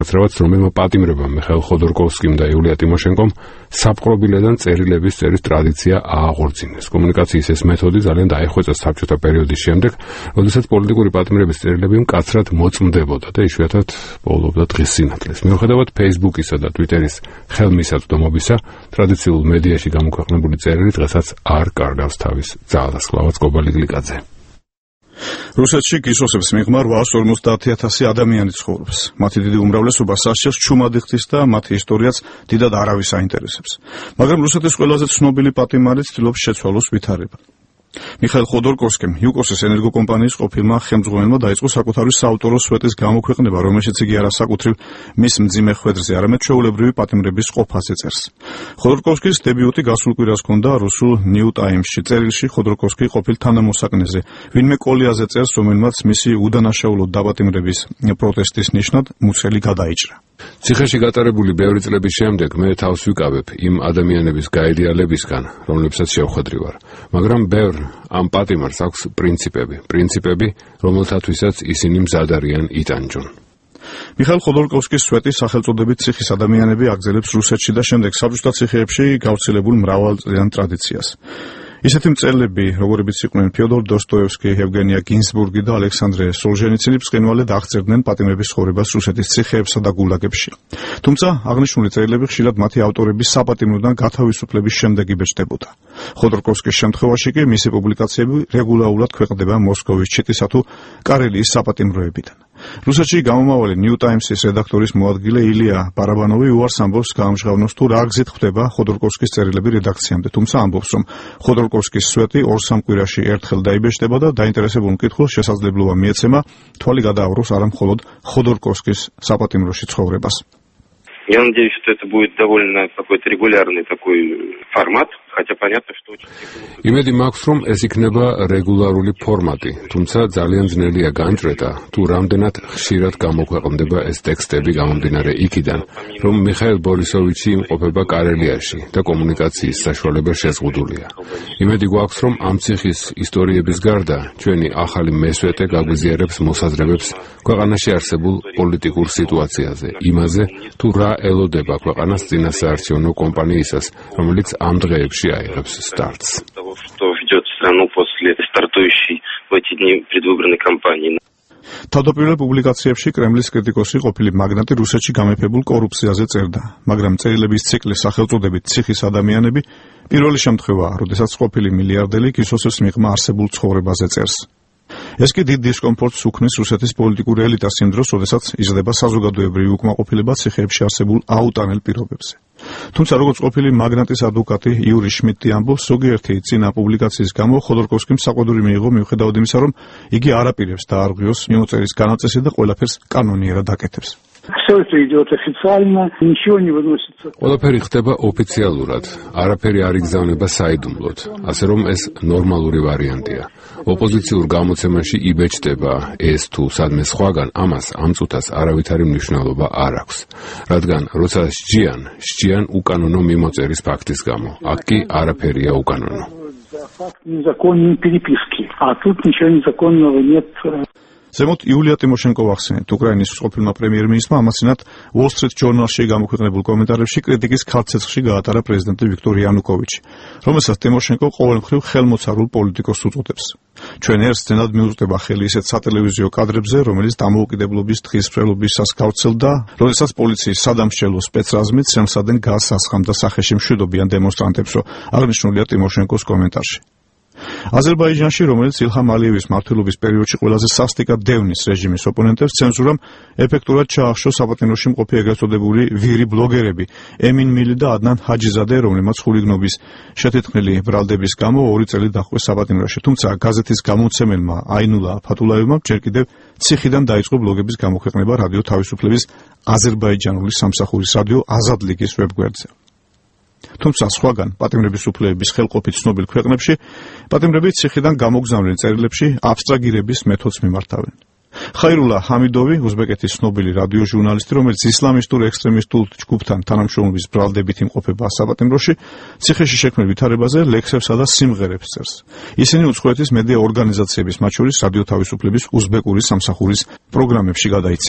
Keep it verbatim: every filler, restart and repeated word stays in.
განსაკუთრებად, რომელმა პატიმრებამ მიხაილ ხოდორკოვსკიმ და იულია ტიმოშენკომ საპყრობილედან წერილების წერის ტრადიცია ააღორწინეს. კომუნიკაციის ეს მეთოდი ძალიან დაიხვეწა საბჭოთა პერიოდის შემდეგ, როდესაც პოლიტიკური პატიმრების წერილები მკაცრად მოწმდებოდა და იშვიათად პოულობდა დღის სინათლეს. მიუხედავად Facebook-ისა და Twitter-ის ხელმისაწვდომობისა, ტრადიციულ მედიაში გამოქვეყნებული წერილი დღესაც არ კარგავს თავის ძალას. კლავაც კობალი გლიკაძე. რუსეთში გისოსებს მიღმა რვაას ორმოცდაათი ათასი ადამიანი ცხოვრობს. მათი დიდი უმრავლესობა სასჯელს ჩუმად იხდის და მათი ისტორიაც დიდად არავის აინტერესებს. მაგრამ რუსეთის ყველაზე ცნობილი პატიმარი ცდილობს შეცვალოს ვითარება. მიხაილ ხოდორკოვსკიმ იუკოსის ენერგოკომპანიის ყოფილმა ხელმძღვანელმა დაიწყო საკუთარი საავტორო სვეტის გამოქვეყნება, რომელშიც იგი არასაკუთრივ მის მძიმე ხვედრზე, არამედ ჩვეულებრივი პატიმრების ყოფაზე წერს. ხოდორკოვსკის დებიუტი გასულ კვირას ჰქონდა რუსულ New Times-ში. წერილში ხოდორკოვსკი ყოფილ თანამოსაკნეზე, ვინმე კოლიაზე წერს, რომელმაც მისი უდანაშაულო დაპატიმრების პროტესტის ნიშნად მუცელი გადაიჭრა. ციხეში გატარებული ბევრი წლების შემდეგ მე თავს ვიკავებ იმ ადამიანების გაიდეალებისგან, რომლებსაც შევხვედრი ვარ, მაგრამ ბევრ ამ პატიმარს აქვს პრინციპები, პრინციპები, რომელთათვისაც ისინი მზად არიან იტანჯონ. მიხაილ ხოდორკოვსკის სვეტი სახელწოდებით ციხის ადამიანები აგზელებს რუსეთში და შემდეგ საბჭოთა ციხეებში გავრცელებულ მრავალწლიან ტრადიციას. ისეთი მწერლები, როგორებიც იყვნენ ფიოდორ დოსტოევსკი, ევგენია გინზბურგი და ალექსანდრე სოლჟენიცინი, ბრწყინვალედ აღწერდნენ პატიმრების ცხოვრებას რუსეთის ციხეებსა და გულაგებში. თუმცა აღნიშნული წერილები ხშირად მათი ავტორების საპატიმროდან გათავისუფლების შემდეგ იბეჭდებოდა. ხოდორკოვსკის შემთხვევაში კი მისი პუბლიკაციები რეგულარულად ქვეყნდება მოსკოვის ჩიტისა თუ კარელიის საპატიმროებიდან. რუსეთში გამომავალი New Times-ის რედაქტორის მოადგილე ილია ბარაბანოვი უარს ამბობს გაამჟღავნოს თუ რა გზით ხვდება ხოდორკოვსკის წერილები რედაქციამდე, თუმცა ამბობს, რომ ხოდორკოვსკის სვეტი ორ-სამ კვირაში ერთხელ დაიბეჭდება და დაინტერესებულ მკითხველს შესაძლებლობა მიეცემა თვალი გადააყროს არა მხოლოდ ხოდორკოვსკის საპატიმროში ცხოვრებას. Я надеюсь, что это будет довольно какой-то регулярный такой формат, хотя понятно, что очень... იმედი მაქვს, რომ ეს იქნება რეგულარული ფორმატი, თუმცა ძალიან ძნელია განჭრედა, თუ რამდენად ხშირად გამოქვეყნდება ეს ტექსტები გამომდინარე იქიდან, რომ მიხაილ ბორისოვიჩი იმყოფება კარელიაში და კომუნიკაციის საშუალება შეზღუდულია. იმედი გვაქვს, რომ ამ ციხის ისტორიების გარდა ჩვენი ახალი მესვეტე გაგვიზიარებს მოსაზრებებს ქვეყანაში არსებულ პოლიტიკურ სიტუაციაზე, იმაზე, თუ რა ელოდება ქვეყანას წინასაარჩევნო კომპანიისას, რომელიც ამ დღეებში აიღებს სტარტს. თავდაპირველ პუბლიკაციებში კრემლის კრიტიკოსი ყოფილი მაგნატი რუსეთში გამეფებულ კორუფციაზე წერდა, მაგრამ წერილების ციკლი სახელწოდებით ციხის ადამიანები პირველი შემთხვევაა, როდესაც ყოფილი მილიარდელი გისოსებს მიღმა არსებულ ცხოვრებაზე წერს. ეს კი დიდ დისკომფორტს უქმნის რუსეთის პოლიტიკურ ელიტას იმ დროს, როდესაც იზრდება საზოგადოებრივი უკმაყოფილება ციხეებში არსებულ აუტანელ პირობებზე. თუმცა როგორც ყოფილი მაგნატის ადვოკატი იური შმიდტი ამბობს, ზოგიერთი წინა публикацიის გამო ხოდორკოვსკიმ საყვედური მიიღო, მიუხედავად იმისა, რომ იგი არ აპირებს დაარღვიოს მიმოწერის განაწესი და ყველაფერს კანონიერად აკეთებს. Все это идет официально, ничего не выносится. ყველაფერი ხდება ოფიციალურად, არაფერი არ იგზავნება საიდუმლოდ, ასე რომ ეს ნორმალური ვარიანტია. ოპოზიციურ გამოცემაში იბეჭდება ეს თუ სადმე სხვაგან, ამას ამ წუთას არავითარი მნიშვნელობა არ აქვს. რადგან როცა სჯიან, სჯიან უკანონო მიმოწერის ფაქტის გამო. აქ კი არაფერია უკანონო. Факт незаконной переписки, а тут ничего незаконного нет. ზემოთ იულია ტიმოშენკო ახსენეთ, უკრაინის ყოფილმა პრემიერ-მინისტრმა ამასინათ Wall Street Journal-ში გამოქვეყნებულ კომენტარებში კრიტიკის ქალცეცხლში გაატარა პრეზიდენტი ვიქტორ იანუკოვიჩი, რომელსაც ტიმოშენკო ყოველმხრივ ხელმოცარულ პოლიტიკოსს უწოდებს. ჩვენ ერთ სცენად მიუწვდება ხელი ისეთ სატელევიზიო კადრებზე, რომელიც დამოუკიდებლობის დღის მრევლობისას გავრცელდა, როდესაც პოლიციის სადამსჯელო სპეცრაზმით სემსადენ გაზს ასხამდა სახეში მშვიდობიან დემონსტრანტებს, რო აღნიშნულია ტიმოშენკოს კომენტარში. აზერბაიჯანში, რომელიც ილჰამ ალიევის მმართველობის პერიოდში ყველაზე სასტიკად დევნის რეჟიმის ოპონენტებს, ცენზურამ ეფექტურად ჩაახშო საპატიმროში მყოფი ეგრეთ წოდებული ვირი ბლოგერები ემინ მილი და ადნან ჰაჯიზადე, რომლებმაც ხულიგნობის შეთეთქმული ბრალდების გამო ორი წელი დაჰყვეს საპატიმროში. თუმცა გაზეთის გამომცემელმა აინულა ფათულაევმა ჯერ კიდევ ციხიდან დაიწყო ბლოგების გამოქვეყნება რადიო თავისუფლების აზერბაიჯანული სამსახურის რადიო აზად ლიგის ვებგვერდზე. თუმცა სხვაგან პატიმრების უფლებების ხელყოფით ცნობილ ქვეყნებში პატიმრები ციხიდან გამოგზავნილ წერილებში აბსტრაგირების მეთოდს მიმართავენ. ხაირულა ჰამიდოვი, უზბეკეთის ცნობილი რადიო ჟურნალისტი, რომელიც ისლამისტურ ექსტრემისტულ ჯგუფთან თანამშრომლობის ბრალდებით იმყოფება საპატიმროში, ციხეში შექმნილ ვითარებაზე ლექსებსა და სიმღერებს წერს. ისინი უცხოეთის მედია ორგანიზაციების, მათ შორის რადიო თავისუფლების უზბეკური სამსახურის პროგრამებში გადაიცემენ.